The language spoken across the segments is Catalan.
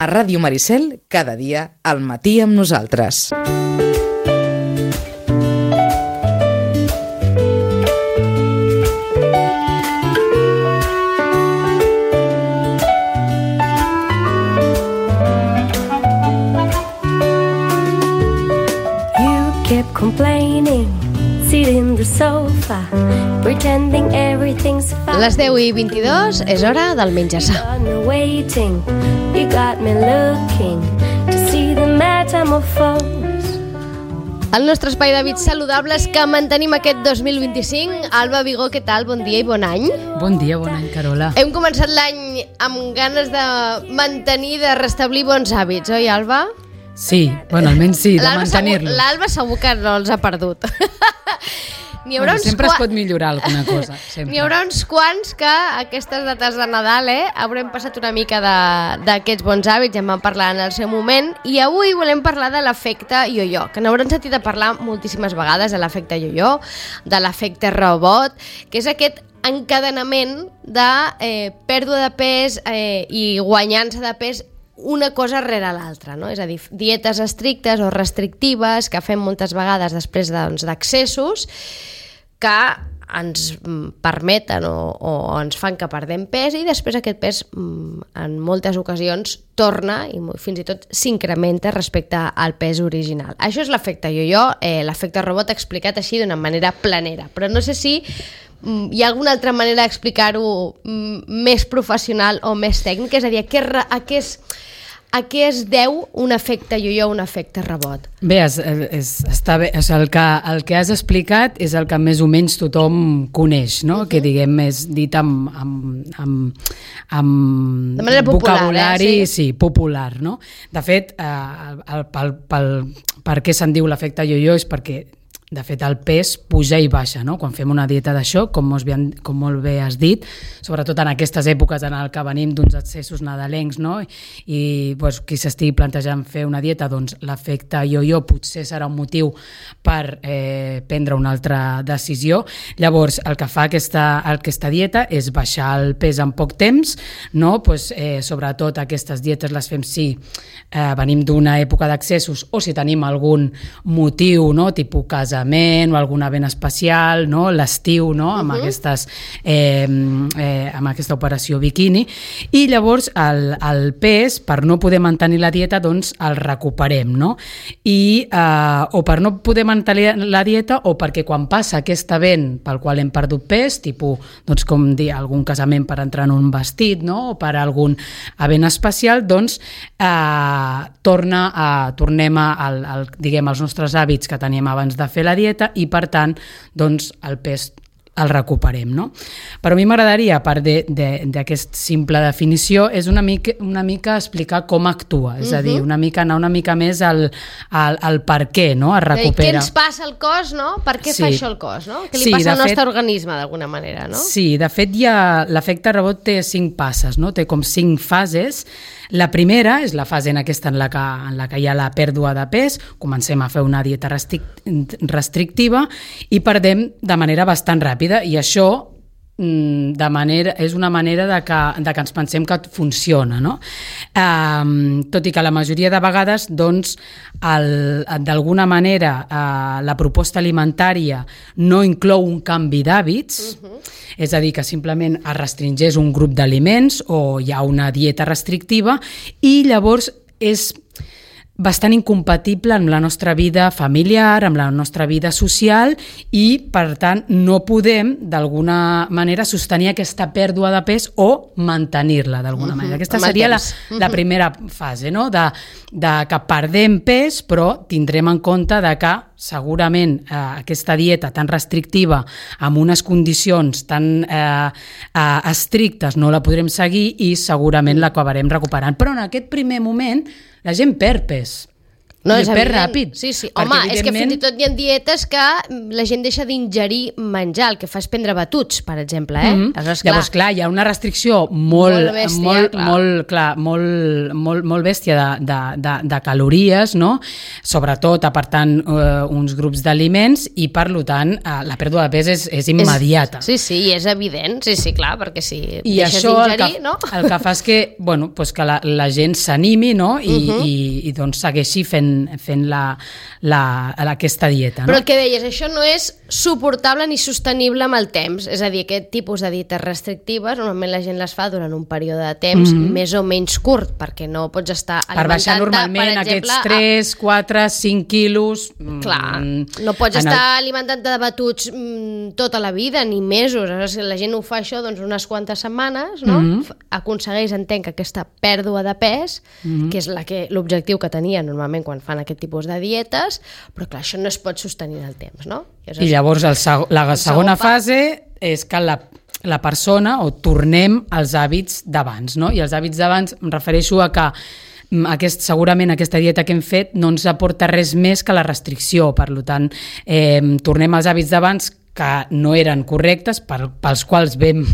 A Ràdio Maricel, cada dia, al matí amb nosaltres. You kept complaining, sitting in the sofa, pretending everything's fine. Les 10:22 és hora del menjar-se. You got me looking to see the metamorphose. El nostre espai d'hàbits saludables que mantenim aquest 2025. Alba Vigó, què tal? Bon dia i bon any. Bon dia, bon any, Carola. Hem començat l'any amb ganes de mantenir, de restablir bons hàbits, oi, Alba? Sí, bueno, almenys sí, de mantenir-los. L'Alba segur que no els ha perdut. Sempre es pot millorar alguna cosa. N'hi haurà uns quants que aquestes dates de Nadal haurem passat una mica d'aquests bons hàbits, ja en vam parlar en el seu moment, i avui volem parlar de l'efecte yo-yo, que n'haurem sentit a parlar moltíssimes vegades, de l'efecte yo-yo, de l'efecte robot, que és aquest encadenament de pèrdua de pes i guanyança de pes una cosa rere l'altra, no? És a dir, dietes estrictes o restrictives que fem moltes vegades després d'accessos que ens permeten o ens fan que perdem pes i després aquest pes en moltes ocasions torna i fins i tot s'incrementa respecte al pes original. Això és l'efecte yo-yo, l'efecte robot explicat així d'una manera planera, però no sé si hi ha alguna altra manera d'explicar-ho més professional o més tècnic, és a dir, a què es deu un efecte yo-yo o un efecte rebot? Bé, està bé. El que has explicat és el que més o menys tothom coneix, no? Que diguem és dit amb de manera vocabulari popular, no? De fet, per què se'n diu l'efecte yo-yo és perquè de fet, el pes puja i baixa, no? Quan fem una dieta d'això, com molt bé has dit, sobretot en aquestes èpoques en què venim d'uns accessos nadalencs, no? I qui s'estigui plantejant fer una dieta, doncs l'efecte yo-yo potser serà un motiu per prendre una altra decisió. Llavors, el que fa aquesta dieta és baixar el pes en poc temps, no? Sobretot aquestes dietes les fem si venim d'una època d'accessos o si tenim algun motiu, no? Tipus casa o algun event especial, no? L'estiu, no? Amb aquesta operació biquini, i llavors el pes, per no poder mantenir la dieta, doncs el recuperem, no? O per no poder mantenir la dieta o perquè quan passa aquest event pel qual hem perdut pes, tipus, doncs com dir, algun casament per entrar en un vestit, no? O per algun event especial, doncs tornem als nostres hàbits que teníem abans de fer la dieta i, per tant, doncs, el pes el recuperem, no? Però a mi m'agradaria, a part d'aquesta simple definició, és una mica explicar com actua, és a dir, anar una mica més al per què, no? Es recupera. Què ens passa al cos, no? Per què fa això el cos, no? Què li passa al nostre organisme, d'alguna manera, no? Sí, de fet, l'efecte rebot té 5 passes, no? Té com 5 fases. La primera és la fase en la que hi ha la pèrdua de pes, comencem a fer una dieta restrictiva i perdem de manera bastant ràpida, i això és una manera de que ens pensem que funciona, no? Tot i que la majoria de vegades, doncs, d'alguna manera la proposta alimentària no inclou un canvi d'hàbits, és a dir, que simplement es restringeix un grup d'aliments o hi ha una dieta restrictiva, i llavors és bastant incompatible amb la nostra vida familiar, amb la nostra vida social, i, per tant, no podem, d'alguna manera, sostenir aquesta pèrdua de pes o mantenir-la, d'alguna manera. Aquesta seria la primera fase, no? De que perdem pes, però tindrem en compte de que segurament aquesta dieta tan restrictiva, amb unes condicions tan estrictes, no la podrem seguir i segurament l'acabarem recuperant. Però en aquest primer moment la gent perd pes. No, I és perd evident. ràpid. Sí, sí. Perquè, Home, és que evidentment, fins i tot hi ha dietes que la gent deixa d'ingerir menjar, el que fa és prendre batuts, per exemple, Aleshores, Llavors, clar, hi ha una restricció molt bèstia, molt bèstia de calories, no? Sobretot apartant uns grups d'aliments i, per tant, la pèrdua de pes és immediata. Sí, i és evident, sí, clar, perquè si I deixes això d'ingerir, no? el que fa és que, pues que la gent s'animi, no? I doncs segueixi fent aquesta dieta. No? Però el que deies, això no és suportable ni sostenible amb el temps. És a dir, aquest tipus de dietes restrictives, normalment la gent les fa durant un període de temps més o menys curt, perquè no pots estar alimentant-te, per baixar normalment aquests 3, 4, 5 quilos... Clar, no pots estar alimentant-te de batuts tota la vida, ni mesos. Aleshores, si la gent ho fa això unes quantes setmanes, no? Aconsegueix, entenc, aquesta pèrdua de pes, que és l'objectiu que tenia normalment quan fan aquest tipus de dietes, però clar, això no es pot sostenir en el temps, no? I llavors la segona fase és que la persona, o tornem als hàbits d'abans, no? I els hàbits d'abans em refereixo a que segurament aquesta dieta que hem fet no ens aporta res més que la restricció, per tant, tornem als hàbits d'abans que no eren correctes, pels quals vam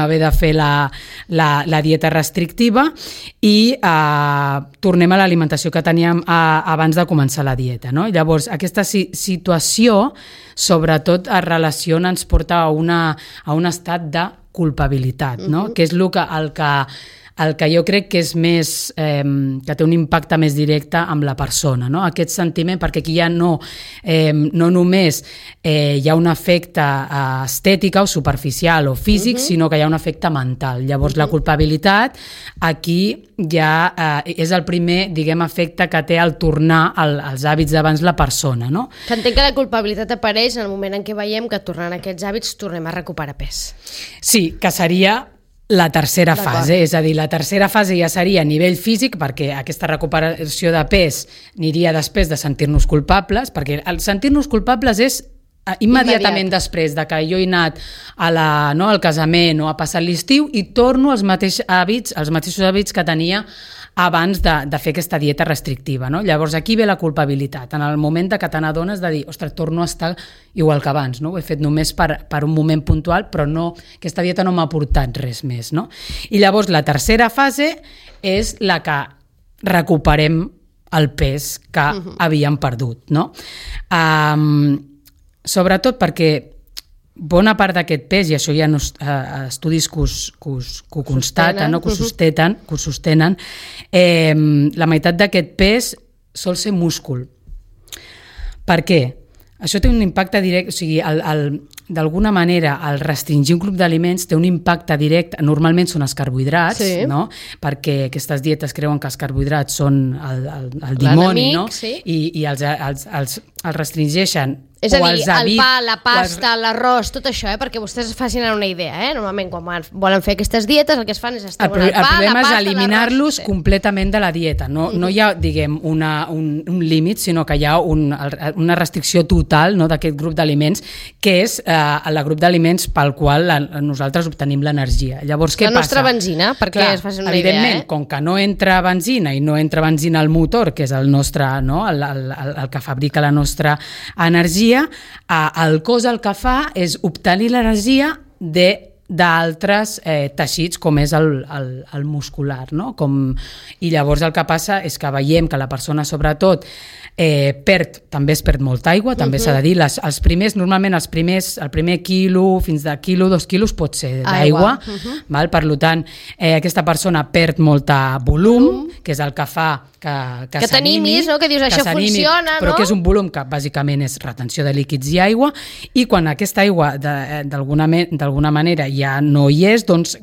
haver de fer la dieta restrictiva, i tornem a l'alimentació que teníem abans de començar la dieta. No? Llavors, aquesta situació, sobretot es relaciona, ens porta a un estat de culpabilitat, no? Que és el que jo crec que és més, que té un impacte més directe amb la persona, no? Aquest sentiment, perquè aquí ja no només hi ha un efecte estètic o superficial o físic, sinó que hi ha un efecte mental. Llavors la culpabilitat aquí ja és el primer, diguem, efecte que té al tornar als hàbits d'abans la persona, no? Que entenc que la culpabilitat apareix en el moment en què veiem que tornant a aquests hàbits tornem a recuperar pes. Sí, que seria la tercera fase, és a dir, la tercera fase ja seria a nivell físic, perquè aquesta recuperació de pes aniria després de sentir-nos culpables, perquè el sentir-nos culpables és immediatament després de que jo he anat al casament o a passar l'estiu i torno als mateixos hàbits que tenia abans de fer aquesta dieta restrictiva. No? Llavors aquí ve la culpabilitat, en el moment que te n'adones de dir, ostres, torno a estar igual que abans, no? Ho he fet només per un moment puntual, però no, aquesta dieta no m'ha aportat res més. No? I llavors la tercera fase és la que recuperem el pes que havíem perdut. No? Sobretot perquè bona part d'aquest pes, i això hi ha estudis que ho constaten, que ho sostenen, la meitat d'aquest pes sol ser múscul. Per què? Això té un impacte directe, o sigui, d'alguna manera, el restringir un grup d'aliments té un impacte directe, normalment són els carbohidrats, no? Perquè aquestes dietes creuen que els carbohidrats són el dimoni, no? I els restringeixen. És a dir, el pa, la pasta, l'arròs, tot això, perquè vostès es facin una idea, Normalment, quan volen fer aquestes dietes, el que es fan és treuen el pa, la pasta, el problema és eliminar-los completament de la dieta. No hi ha, diguem, un límit, sinó que hi ha una restricció total d'aquest grup d'aliments, que és el grup d'aliments pel qual nosaltres obtenim l'energia. Llavors, què passa? La nostra benzina, perquè es facin una idea. Evidentment, com que no entra benzina i no entra benzina al motor, que és el nostre, el que fabrica la nostra energia, el cos el que fa és obtenir l'energia d'altres teixits, com és el muscular. No? I llavors el que passa és que veiem que la persona, sobretot, també es perd molta aigua, també s'ha de dir. Normalment el primer quilo, fins de quilo, 2 quilos pot ser d'aigua. Per tant, aquesta persona perd molta volum, que és el que fa que t'animis, que dius això funciona, però que és un volum que bàsicament és retenció de líquids i aigua, i quan aquesta aigua d'alguna manera ja no hi és, doncs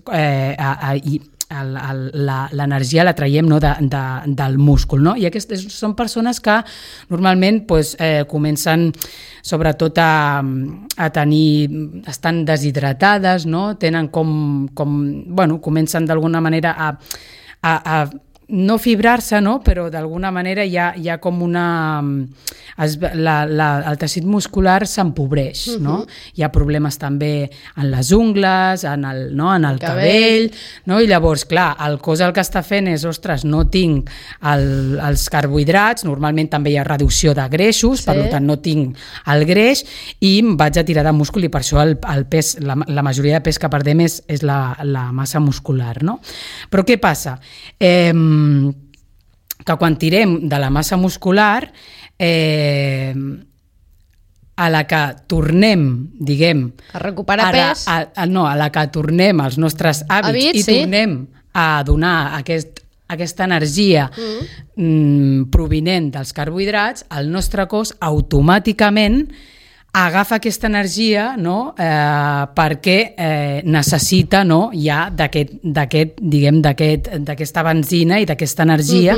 l'energia la traiem del múscul. No? I aquestes són persones que normalment comencen sobretot a tenir, estan deshidratades, no? Tenen comencen d'alguna manera a no fibrar-se, no? Però d'alguna manera hi ha com una... el teixit muscular s'empobreix, no? Hi ha problemes també en les ungles, en el cabell, no? I llavors, clar, el cos el que està fent és, ostres, no tinc els carbohidrats, normalment també hi ha reducció de greixos, per tant no tinc el greix i em vaig a tirar de múscul i per això el pes, la majoria de pes que perdem és la massa muscular, no? Però què passa? Que quan tirem de la massa muscular a la que tornem, diguem... A recuperar pes. A la que tornem als nostres hàbits i tornem a donar aquesta energia provinent dels carbohidrats, el nostre cos automàticament agafa aquesta energia, no? Perquè necessita, no? Ja d'aquesta benzina i d'aquesta energia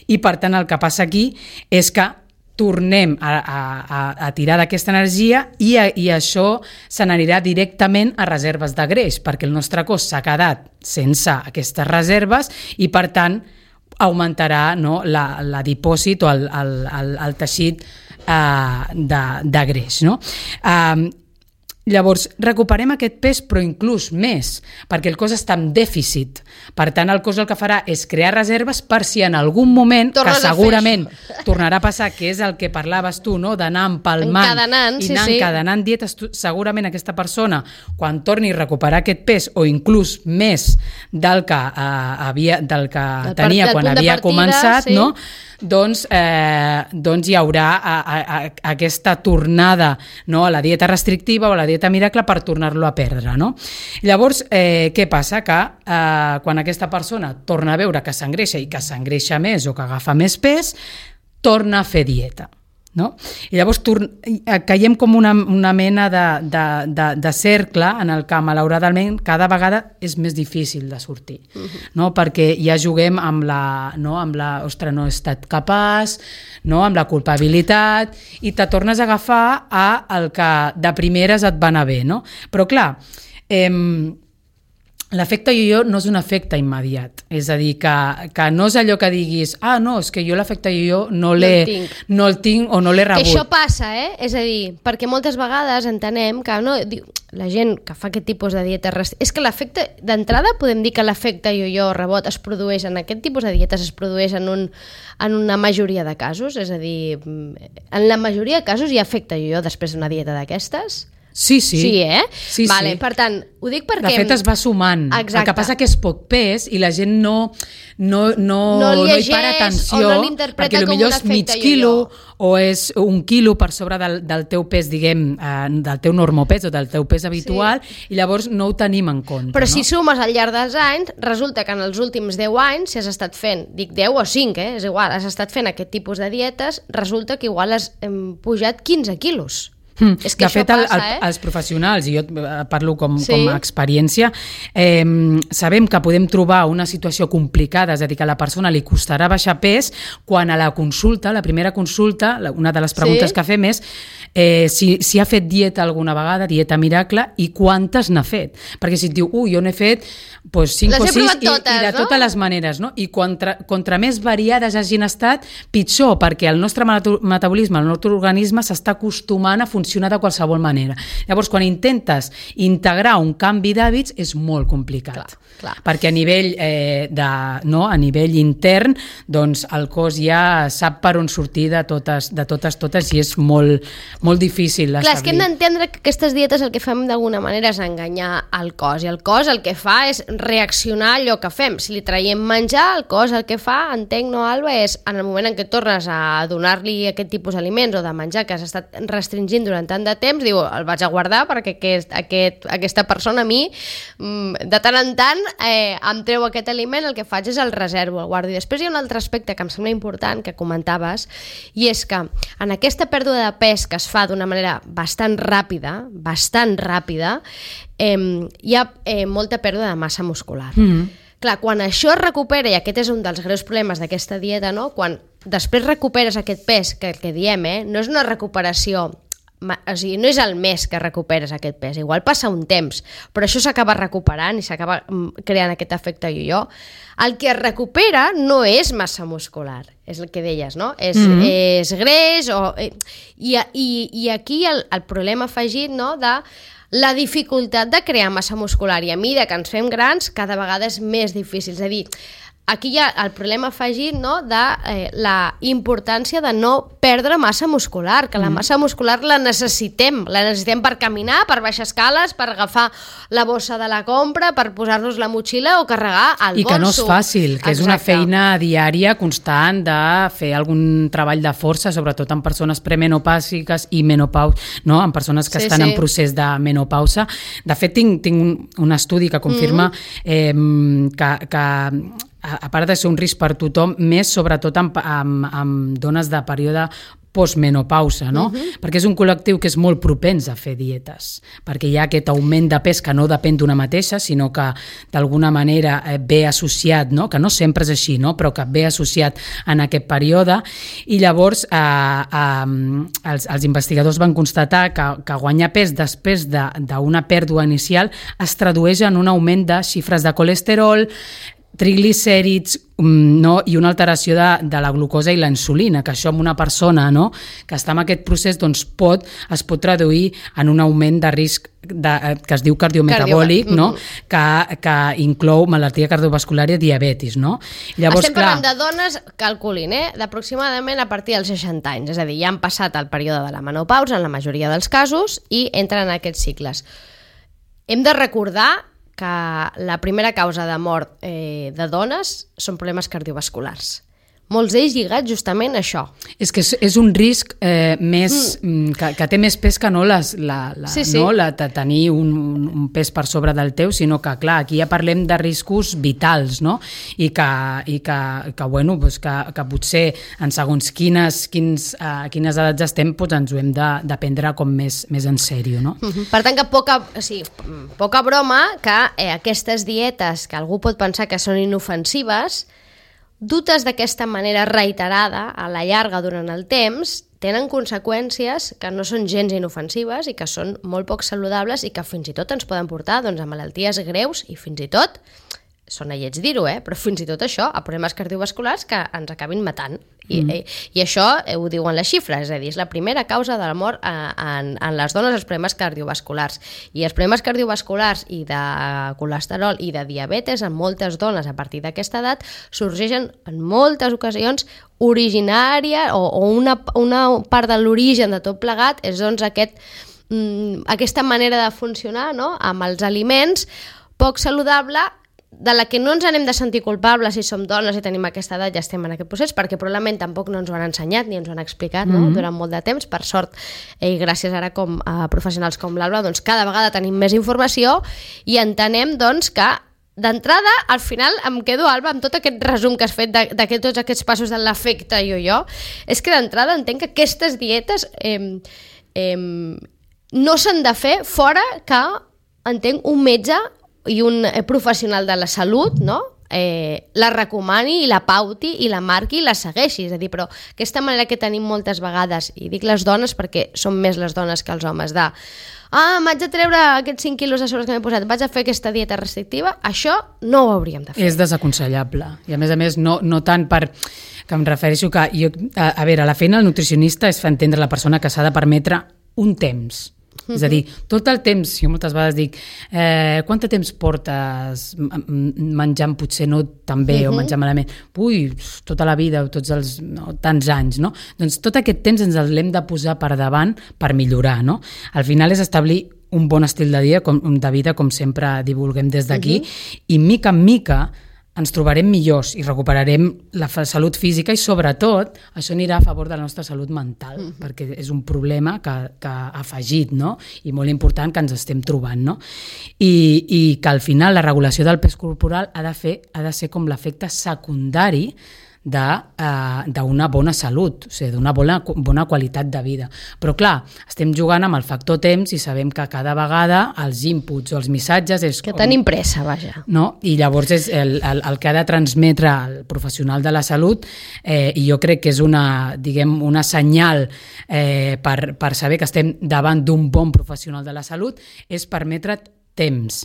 i per tant el que passa aquí és que tornem a tirar d'aquesta energia i això se n'anirà directament a reserves de greix perquè el nostre cos s'ha quedat sense aquestes reserves i per tant augmentarà, no? L'adipòsit o el teixit de greix, no? Llavors, recuperem aquest pes, però inclús més, perquè el cos està en dèficit. Per tant, el cos el que farà és crear reserves per si en algun moment, que segurament tornarà a passar, que és el que parlaves tu, no? D'anar empalmant i anar encadenant dietes, segurament aquesta persona, quan torni a recuperar aquest pes, o inclús més del que tenia quan havia començat, no? Doncs hi haurà aquesta tornada, no? A la dieta restrictiva o a la dieta miracle per tornar-lo a perdre, no? Llavors, què passa? Que quan aquesta persona torna a veure que s'engreixa i que s'engreixa més o que agafa més pes, torna a fer dieta, no? I llavors caiem com una mena de cercle en el que malauradament cada vegada és més difícil de sortir, no? Perquè ja juguem amb ostres, no he estat capaç, no? Amb la culpabilitat i te tornes a agafar el que de primeres et va anar bé, no? Però clar, l'efecte yo-yo no és un efecte immediat, és a dir, que no és allò que diguis no, és que jo l'efecte yo-yo no el tinc o no l'he rebut. Que això passa, és a dir, perquè moltes vegades entenem que la gent que fa aquest tipus de dieta és que l'efecte, d'entrada podem dir que l'efecte yo-yo o rebot es produeix en aquest tipus de dietes, es produeix en una majoria de casos, és a dir, en la majoria de casos hi ha efecte yo-yo després d'una dieta d'aquestes? Sí. Sí, Sí, vale, sí. per tant, ho dic perquè... De fet, es va sumant. Exacte. El que passa que és poc pes i la gent no hi para atenció, o no l'interpreta perquè com potser un és mig efecte quilo yo-yo. o és 1 quilo per sobre del teu pes, diguem, del teu normopès o del teu pes habitual, i llavors no ho tenim en compte. Però si sumes al llarg dels anys, resulta que en els últims 10 anys, si has estat fent, dic 10 o 5, és igual, has estat fent aquest tipus de dietes, resulta que igual has pujat 15 quilos. És que de fet, passa, els professionals, i jo parlo com a experiència, sabem que podem trobar una situació complicada, és a dir, que a la persona li costarà baixar pes quan a la consulta, la primera consulta, una de les preguntes que fem és si ha fet dieta alguna vegada, dieta miracle, i quantes n'ha fet. Perquè si et diu, jo n'he fet 5 o 6 i de totes les maneres, no? I contra més variades hagin estat, pitjor, perquè el nostre metabolisme, el nostre organisme s'està acostumant a funcionar de qualsevol manera. Llavors, quan intentes integrar un canvi d'hàbits, és molt complicat. Clar. Perquè a nivell a nivell intern, doncs el cos ja sap per on sortir de totes i és molt difícil establir. Clar, és que hem d'entendre que aquestes dietes el que fem d'alguna manera és enganyar el cos, i el cos el que fa és reaccionar a allò que fem. Si li traiem menjar, el cos el que fa, entenc, no, Alba, és en el moment en què tornes a donar-li aquest tipus d'aliments o de menjar que has estat restringint durant tant de temps, diu, el vaig a guardar perquè aquesta persona a mi de tant en tant em treu aquest aliment, el que faig és el reservo, el guardo. I després hi ha un altre aspecte que em sembla important que comentaves, i és que en aquesta pèrdua de pes que es fa d'una manera bastant ràpida, hi ha molta pèrdua de massa muscular. Clar, quan això es recupera, i aquest és un dels greus problemes d'aquesta dieta, no? Quan després recuperes aquest pes, que el que diem, no és una recuperació o sigui, no és el mes que recuperes aquest pes, igual passa un temps, però això s'acaba recuperant i s'acaba creant aquest efecte yo-yo. El que es recupera no és massa muscular, és el que deies, no? És greix, i aquí el problema afegit, no?, de la dificultat de crear massa muscular, i a mesura que ens fem grans cada vegada és més difícil, és a dir, aquí hi ha el problema afegit, no?, de la importància de no perdre massa muscular, que la massa muscular la necessitem per caminar, per baixar escales, per agafar la bossa de la compra, per posar-nos la motxilla o carregar el bolso. I que no és fàcil, que és una feina diària constant de fer algun treball de força, sobretot en persones premenopàusiques i menopàusiques, no?, en persones que estan en procés de menopausa. De fet, tinc un estudi que confirma que a part de ser un risc per tothom, més sobretot amb dones de període postmenopausa, no? Perquè és un col·lectiu que és molt propens a fer dietes, perquè hi ha aquest augment de pes que no depèn d'una mateixa, sinó que d'alguna manera ve associat, no? Que no sempre és així, no? Però que ve associat en aquest període, i llavors els investigadors van constatar que guanyar pes després d'una pèrdua inicial es tradueix en un augment de xifres de colesterol, triglicèrids, no? I una alteració de la glucosa i la insulina, que això en una persona, no?, que està en aquest procés, doncs es pot traduir en un augment de risc que es diu cardiometabòlic, no?, que inclou malaltia cardiovascular i diabetis, no? Llavors, estem parlant de dones, calculin, d'aproximadament a partir dels 60 anys, és a dir, ja han passat el període de la menopausa en la majoria dels casos i entren en aquests cicles. Hem de recordar que la primera causa de mort de dones són problemes cardiovasculars. Molts d'ells lligats justament a això. És que és un risc més que té més pes que no de tenir un pes per sobre del teu, sinó que, clar, aquí ja parlem de riscos vitals, no? I que bueno, doncs que potser en segons quines edats estem, doncs ens ho hem de prendre com més en sèrio, no? Per tant, que poca broma que aquestes dietes que algú pot pensar que són inofensives, dutes d'aquesta manera reiterada a la llarga durant el temps, tenen conseqüències que no són gens inofensives i que són molt poc saludables i que fins i tot ens poden portar a malalties greus i fins i tot, sona lleig dir-ho, però fins i tot això, a problemes cardiovasculars que ens acabin matant. I això ho diuen les xifres, és a dir, és la primera causa de la mort en les dones, els problemes cardiovasculars. I els problemes cardiovasculars i de colesterol i de diabetes en moltes dones a partir d'aquesta edat sorgeixen en moltes ocasions originària o una part de l'origen de tot plegat és doncs aquesta manera de funcionar, no?, amb els aliments poc saludable, de la que no ens anem de sentir culpables si som dones i tenim aquesta edat, ja estem en aquest procés, perquè probablement tampoc no ens ho han ensenyat ni ens ho han explicat durant molt de temps. Per sort, i gràcies ara a professionals com l'Alba, doncs cada vegada tenim més informació i entenem doncs que d'entrada, al final em quedo, Alba, amb tot aquest resum que has fet de tots aquests passos de l'efecte yo-yo, és que d'entrada entenc que aquestes dietes no s'han de fer fora que, entenc, un metge i un professional de la salut, no?, la recomani i la pauti i la marqui i la segueixi. És a dir, però aquesta manera que tenim moltes vegades, i dic les dones perquè són més les dones que els homes, m'haig de treure aquests 5 quilos de sobre que m'he posat, vaig a fer aquesta dieta restrictiva, això no ho hauríem de fer. És desaconsellable. I a més, no tant per... que em refereixo que... a veure, la feina del nutricionista és fer entendre a la persona que s'ha de permetre un temps. És a dir, tot el temps, jo moltes vegades dic, quant de temps portes menjant potser no tan bé o menjant malament? Ui, tota la vida o tants anys, no? Doncs tot aquest temps ens l'hem de posar per davant per millorar, no? Al final és establir un bon estil de vida, com sempre divulguem des d'aquí, i mica en mica ens trobarem millors i recuperarem la salut física i, sobretot, això anirà a favor de la nostra salut mental, perquè és un problema que ha afegit, no?, i molt important que ens estem trobant, no? I que al final la regulació del pes corporal ha de ser com l'efecte secundari d'una bona salut, o sigui, d'una bona qualitat de vida. Però clar, estem jugant amb el factor temps i sabem que cada vegada els inputs o els missatges és... Que tenim pressa, vaja. No? I llavors és el que ha de transmetre el professional de la salut i jo crec que és una senyal per saber que estem davant d'un bon professional de la salut, és permetre't temps,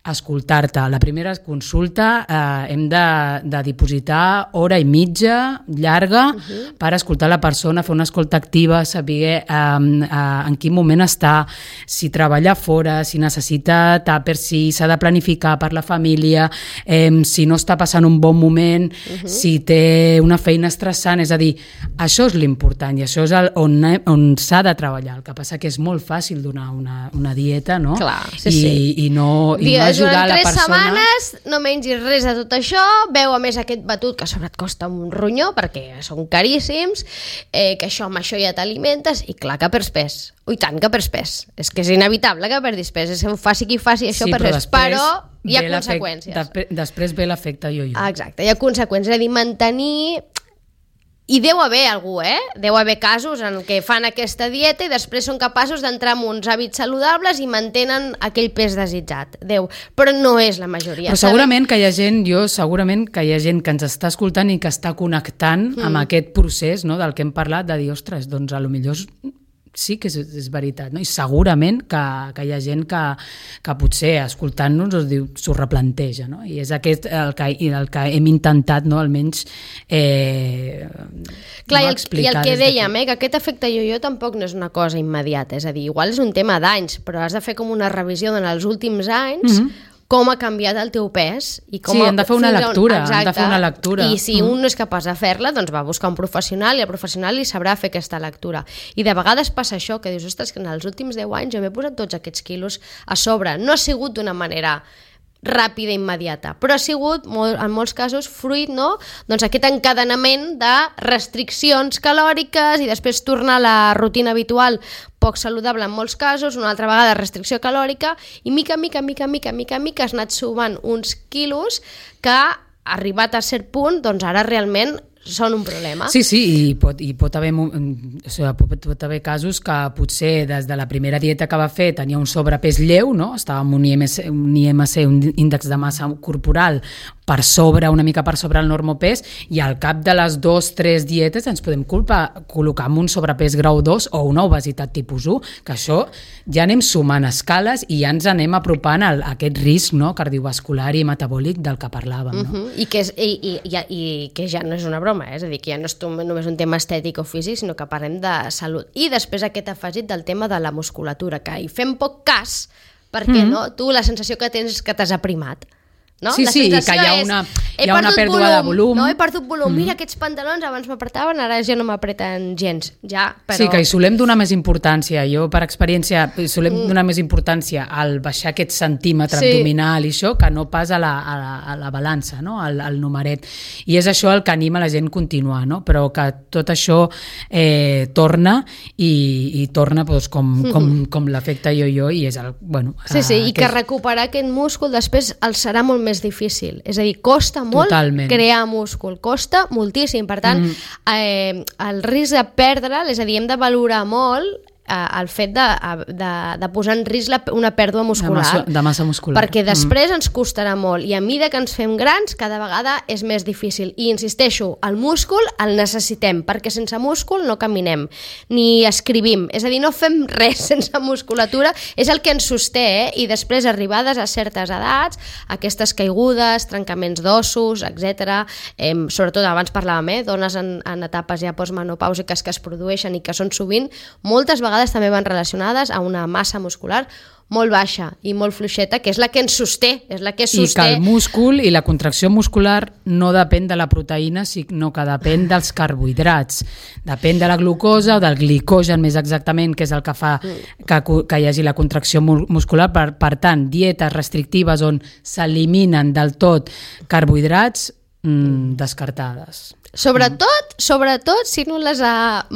escoltar-te. La primera consulta hem de dipositar hora i mitja llarga per escoltar la persona, fer una escolta activa, saber en quin moment està, si treballa fora, si necessita tàper, si s'ha de planificar per la família, si no està passant un bon moment, si té una feina estressant, és a dir, això és l'important i això és on s'ha de treballar. El que passa que és molt fàcil donar una dieta, no? Clar, sí. I no ajudar a la persona... Durant 3 setmanes no mengis res de tot això, veu a més aquest batut que a sobre et costa un ronyó perquè són caríssims, que això amb això ja t'alimentes i clar que perds pes. Ui, tant que perds pes. És que és inevitable que perdis pes. Faci qui faci això, però hi ha conseqüències. Després ve l'efecte yo-yo. Exacte, hi ha conseqüències. És a dir, mantenir... I deu haver algú, Deu haver casos en què fan aquesta dieta i després són capaços d'entrar en uns hàbits saludables i mantenen aquell pes desitjat. Però no és la majoria. Però segurament que hi ha gent que ens està escoltant i que està connectant amb aquest procés, no, del que hem parlat, de dir, ostres, doncs a lo millor sí que és veritat, no? I segurament que hi ha gent que potser escoltant-nos s'ho replanteja, no? I és aquest el que hem intentat, no? Almenys clar, i el que dèiem, que aquest efecte yo-yo tampoc no és una cosa immediata, és a dir, igual és un tema d'anys, però has de fer com una revisió en els últims anys, com ha canviat el teu pes i com han de fer una lectura. I si un no és capaç de fer-la, doncs va buscar un professional i el professional li sabrà fer aquesta lectura. I de vegades passa això, que dius, ostres, que en els últims 10 anys jo m'he posat tots aquests quilos a sobre. No ha sigut d'una manera ràpida i immediata, però ha sigut en molts casos fruit, no? Doncs aquest encadenament de restriccions calòriques i després tornar a la rutina habitual poc saludable en molts casos, una altra vegada restricció calòrica i mica has anat sumant uns quilos que arribat a cert punt, doncs ara realment són un problema. Sí, i pot haver casos que potser des de la primera dieta que va fer tenia un sobrepès lleu, no? Estava amb un IMC, un índex de massa corporal una mica per sobre el normopès i al cap de les 2-3 dietes ens podem col·locar amb un sobrepès grau 2 o una obesitat tipus 1, que això ja anem sumant escales i ja ens anem apropant a aquest risc, no? Cardiovascular i metabòlic del que parlàvem. No? I que ja no és una broma, és a dir, que ja no és només un tema estètic o físic, sinó que parlem de salut. I després aquest afegit del tema de la musculatura, que hi fem poc cas, perquè no? Tu la sensació que tens és que t'has aprimat. No? Sí, i que hi ha una pèrdua de volum. No, he perdut volum. Mira, aquests pantalons abans m'apretaven, ara ja no m'apreten gens. Però... Sí, que hi solem donar més importància. Jo, per experiència, solem donar més importància al baixar aquest centímetre abdominal i això, que no pas a la balança, no? al numeret. I és això el que anima la gent a continuar, no? Però que tot això torna i torna doncs, com l'efecte yo-yo i és el... Bueno, i que recuperar aquest múscul després el serà molt més difícil, és a dir, costa molt crear múscul, costa moltíssim, per tant el risc de perdre'l, és a dir, hem de valorar molt el fet de posar en risc una pèrdua muscular de massa muscular, perquè després ens costarà molt i a mesura que ens fem grans cada vegada és més difícil i insisteixo, el múscul el necessitem perquè sense múscul no caminem ni escrivim, és a dir, no fem res sense musculatura, és el que ens sosté i després arribades a certes edats aquestes caigudes, trencaments d'ossos, etc. Sobretot abans parlàvem, dones en etapes ja postmenopàusiques que es produeixen i que són sovint moltes vegades també van relacionades a una massa muscular molt baixa i molt fluixeta, que és la que ens sosté, és la que sosté. I que el múscul i la contracció muscular no depèn de la proteïna, sinó que depèn dels carbohidrats. Depèn de la glucosa o del glicogen, més exactament, que és el que fa que hi hagi la contracció muscular. Per tant, dietes restrictives on s'eliminen del tot carbohidrats, descartades. Sobretot, si no les ha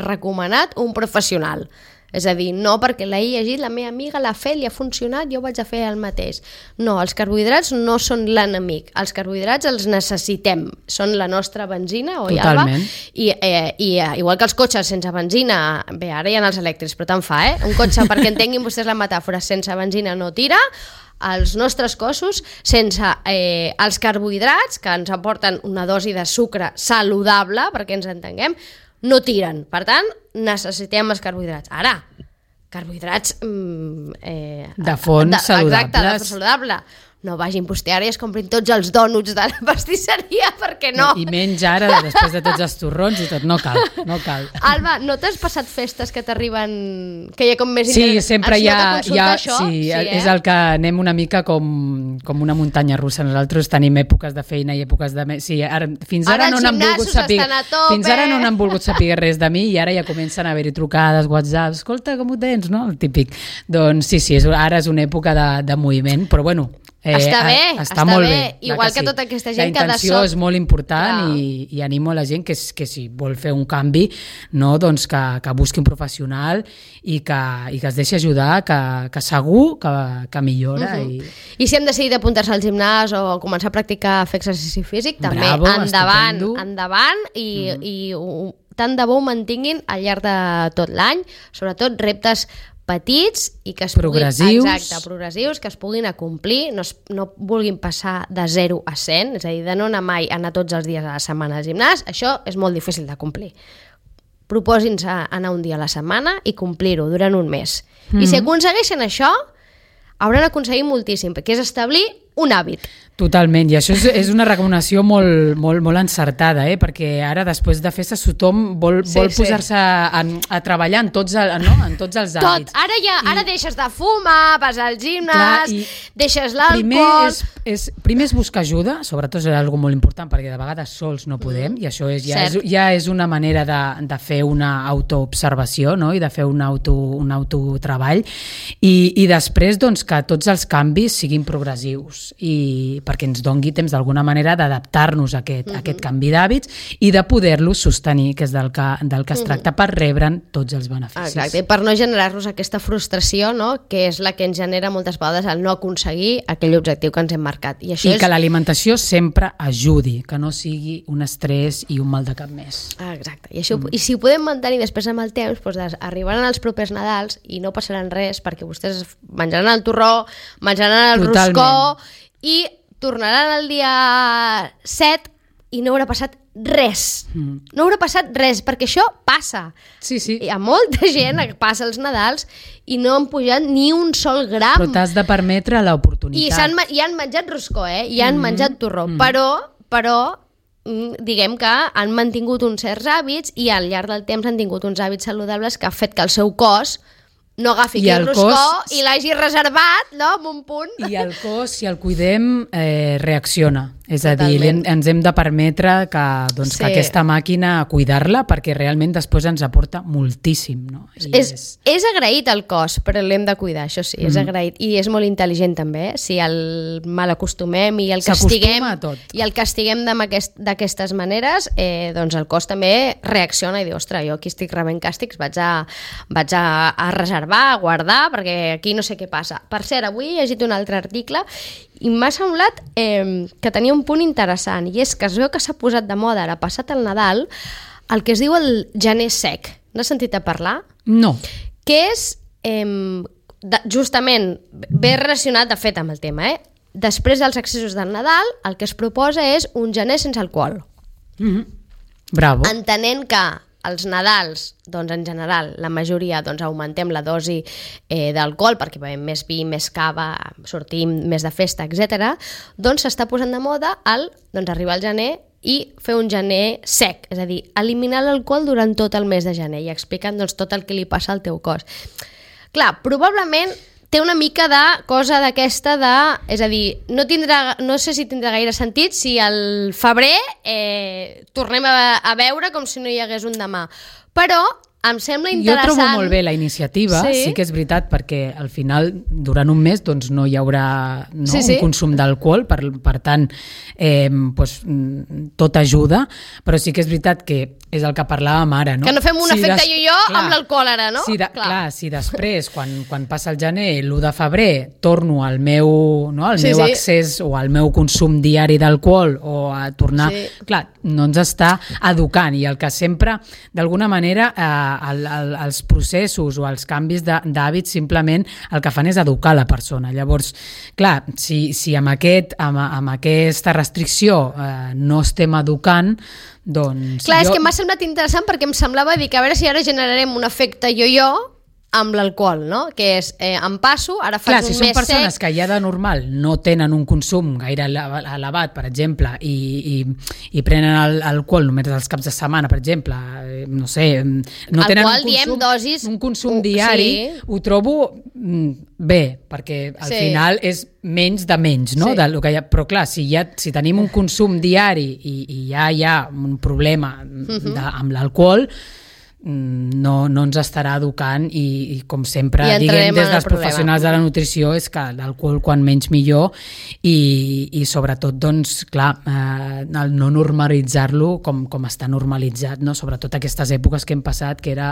recomanat un professional. És a dir, no perquè l'he llegit, la meva amiga l'ha fet, li ha funcionat, jo vaig a fer el mateix. No, els carbohidrats no són l'enemic. Els carbohidrats els necessitem. Són la nostra benzina, oi, Alba? Totalment. I igual que els cotxes sense benzina, bé, ara hi ha els elèctrics, però tant fa, Un cotxe, perquè entenguin vostès la metàfora, sense benzina no tira. Els nostres cossos, sense els carbohidrats, que ens aporten una dosi de sucre saludable, perquè ens entenguem, no tiren. Per tant, necessitem els carbohidrats. Ara, carbohidrats de fons saludables. Exacte, de fons saludable. No vagin vostè ara i es comprin tots els dònuts de la pastisseria, perquè no. I menys ara, després de tots els torrons i tot, no cal. Alba, no t'has passat festes que t'arriben, que hi ha com més Sí, sempre hi ha això? Sí, és el que anem una mica com una muntanya russa. Nosaltres tenim èpoques de feina i èpoques de... Sí, fins ara no n'han volgut saber res de mi i ara ja comencen a haver-hi trucades, WhatsApp, escolta, com ho tens, no? El típic. Doncs sí, ara és una època de moviment, però bueno, està molt bé. Igual que tota aquesta gent que la intenció és molt important i animo a la gent que si vol fer un canvi, no, doncs que busqui un professional i que es deixi ajudar, que segur que millora. I si hem decidit apuntar-se al gimnàs o començar a practicar fer exercici físic, també endavant i tant de bo ho mantinguin al llarg de tot l'any, sobretot reptes petits i que es progressius. Progressius, que es puguin acomplir, no vulguin passar de 0 a 100, és a dir, de no anar mai a anar tots els dies a la setmana al gimnàs, això és molt difícil de complir. Proposin-se anar un dia a la setmana i complir-ho durant un mes. I si aconsegueixen això, hauran aconseguit moltíssim, perquè és establir un hàbit. Totalment, i això és una recomanació molt encertada, perquè ara, després de festes, tothom vol posar-se a treballar en tots els hàbits. Ara deixes de fumar, vas al gimnàs, deixes l'alcohol... Primer és buscar ajuda, sobretot és una molt important, perquè de vegades sols no podem, i això ja és una manera de fer una autoobservació, no? I de fer un autotreball, i després que tots els canvis siguin progressius, i perquè ens dongui temps d'alguna manera d'adaptar-nos a aquest canvi d'hàbits i de poder-los sostenir, que és del que es tracta, per rebre'n tots els beneficis. Exacte, i per no generar-nos aquesta frustració, no? Que és la que ens genera moltes vegades el no aconseguir aquell objectiu que ens hem marcat. I que l'alimentació sempre ajudi, que no sigui un estrès i un mal de cap més. Exacte, i si ho podem mantenir després amb el temps, doncs arribaran els propers Nadals i no passaran res, perquè vostès menjaran el torró, menjaran el roscó i tornaran el dia 7 i no haurà passat res. No haurà passat res, perquè això passa. Sí. Hi ha molta gent que passa els Nadals i no han pujat ni un sol gram. Però t'has de permetre l'oportunitat. I han menjat roscó, i han menjat torró. Però diguem que han mantingut uns certs hàbits i al llarg del temps han tingut uns hàbits saludables que ha fet que el seu cos no agafi el roscó i l'hagi reservat, no?, en un punt. I el cos, si el cuidem, reacciona. És a dir, ens hem de permetre que aquesta màquina, cuidar-la, perquè realment després ens aporta moltíssim. No? És agraït el cos, però l'hem de cuidar, això sí, és agraït. I és molt intel·ligent també, si el malacostumem i el castiguem d'aquestes maneres, doncs el cos també reacciona i diu, ostres, jo aquí estic rebent càstigs, vaig a reservar, a guardar, perquè aquí no sé què passa. Per cert, avui he llegit un altre article i m'ha semblat que tenia un punt interessant, i és que es veu que s'ha posat de moda, ara passat el Nadal, el que es diu el gener sec. N'has sentit a parlar? No. Que és, justament, bé relacionat, de fet, amb el tema, després dels accessos del Nadal, el que es proposa és un gener sense alcohol. Bravo. Entenent que els Nadals, doncs en general, la majoria augmentem la dosi d'alcohol perquè bevem més vi, més cava, sortim més de festa, etc. Doncs s'està posant de moda arribar al gener i fer un gener sec, és a dir, eliminar l'alcohol durant tot el mes de gener i explicant tot el que li passa al teu cos. Clar, probablement té una mica de cosa d'aquesta és a dir, no sé si tindrà gaire sentit si al febrer tornem a beure com si no hi hagués un demà, però em sembla interessant. Jo trobo molt bé la iniciativa, sí que és veritat, perquè al final, durant un mes, no hi haurà un consum d'alcohol, per tant, tot ajuda, però sí que és veritat que és el que parlàvem ara, no? Que no fem un efecte jo-jo amb l'alcohol ara, no? Clar, si després, quan passa el gener, l'1 de febrer, torno al meu, no, al meu accés o al meu consum diari d'alcohol o a tornar... Clar, no ens està educant i el que sempre, d'alguna manera, els processos o els canvis d'hàbits simplement el que fan és educar la persona. Llavors, clar, si amb aquesta restricció no estem educant, doncs... Clar, és que m'ha semblat interessant perquè em semblava dir que a veure si ara generarem un efecte jo-jo amb l'alcohol, no? Que és, em passo, ara faig un mes sec... Clar, si són persones que ja de normal no tenen un consum gaire elevat, per exemple, i prenen alcohol només els caps de setmana, per exemple, no sé, no tenen un consum diari, ho trobo bé, perquè al final és menys de menys, no? Però clar, si tenim un consum diari i ja hi ha un problema amb l'alcohol, no ens estarà educant i com sempre diguem des dels professionals de la nutrició és que l'alcohol quan menys millor i sobretot doncs clar el no normalitzar-lo com està normalitzat, no? Sobretot aquestes èpoques que hem passat que era,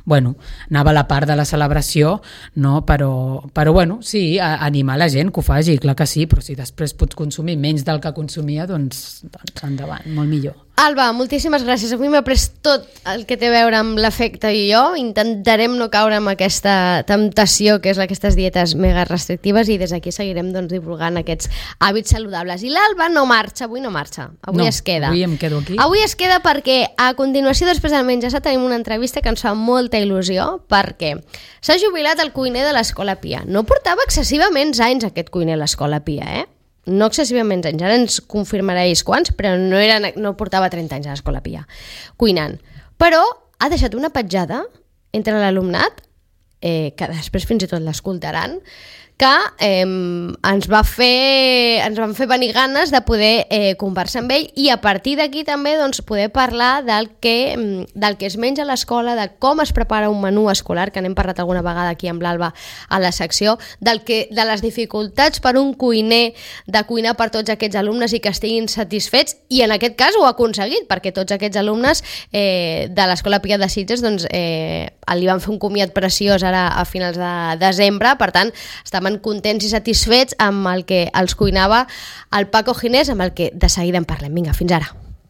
bueno, anava a la part de la celebració, no? Però bueno, sí, animar la gent que ho faci, clar que sí, però si després pots consumir menys del que consumia, doncs endavant, molt millor. Alba, moltíssimes gràcies. Avui m'he après tot el que té a veure amb l'efecte jo. Intentarem no caure en aquesta temptació que és aquestes dietes mega restrictives i des d'aquí seguirem divulgant aquests hàbits saludables. I l'Alba no marxa, avui no marxa. Avui es queda. Avui em quedo aquí. Avui es queda perquè a continuació, després del menjar, tenim una entrevista que ens fa molta il·lusió perquè s'ha jubilat el cuiner de l'Escola Pia. No portava excessivament anys aquest cuiner a l'Escola Pia, no excessivament anys, ara ens confirmaréis quants, però no portava 30 anys a l'Escola Pia cuinant, però ha deixat una petjada entre l'alumnat que després fins i tot l'escoltaran, que ens van fer venir ganes de poder conversar amb ell i a partir d'aquí també doncs, poder parlar del que es menja a l'escola, de com es prepara un menú escolar, que n'hem parlat alguna vegada aquí amb l'Alba a la secció, de les dificultats per un cuiner de cuinar per tots aquests alumnes i que estiguin satisfets, i en aquest cas ho ha aconseguit, perquè tots aquests alumnes de l'Escola Pia de Sitges doncs, li van fer un comiat preciós ara a finals de desembre, per tant estaven contents i satisfets amb el que els cuinava el Paco Ginés, amb el que de seguida en parlem. Vinga, fins ara.